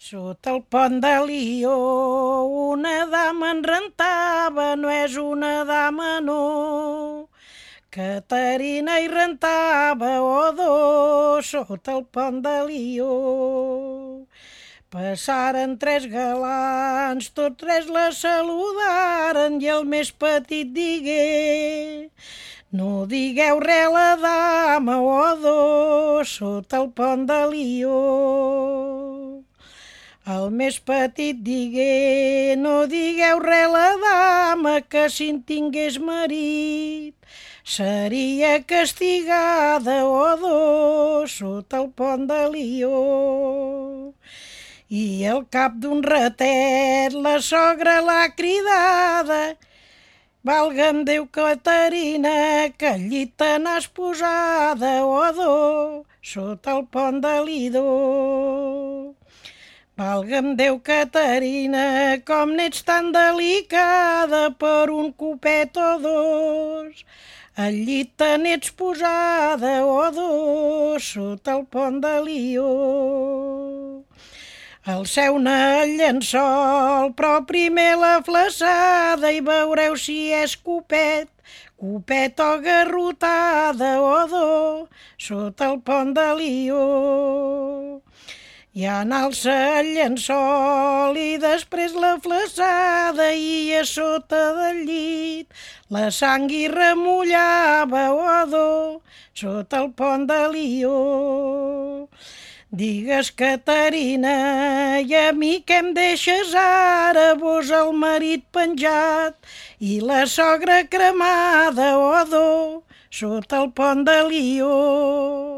Sota el pont de Lió una dama en rentava, no és una dama, no. Caterina hi rentava, o dos, sota el pont de Lió. Passaren tres galants, tots tres la saludaren i el més petit digué: no digueu res a la dama, o dos, sota el pont de Lió. El més petit digué: no digueu res a la dama, que si en tingués marit seria castigada, o dos, sota el pont de Lió. I al cap d'un ratet la sogra l'ha cridada: valga'm Déu, Caterina, que al llit te n'has posada, o dos, sota el pont de Lido. Valga'm Déu, Caterina, com n'ets tan delicada, per un copet o dos al llit te n'ets posada, o dos, sota el pont de Lió. Alceu-ne el llençol, però primer la flaçada, i veureu si és copet, copet o garrotada, o dos, sota el pont de Lió. I alça el llençol i després la flaçada, i a sota del llit la sang hi remullava, o dos, sota el pont de Lió. Digues, Caterina, i a mi què em deixes ara, vos el marit penjat i la sogra cremada, o dos, sota el pont de Lió.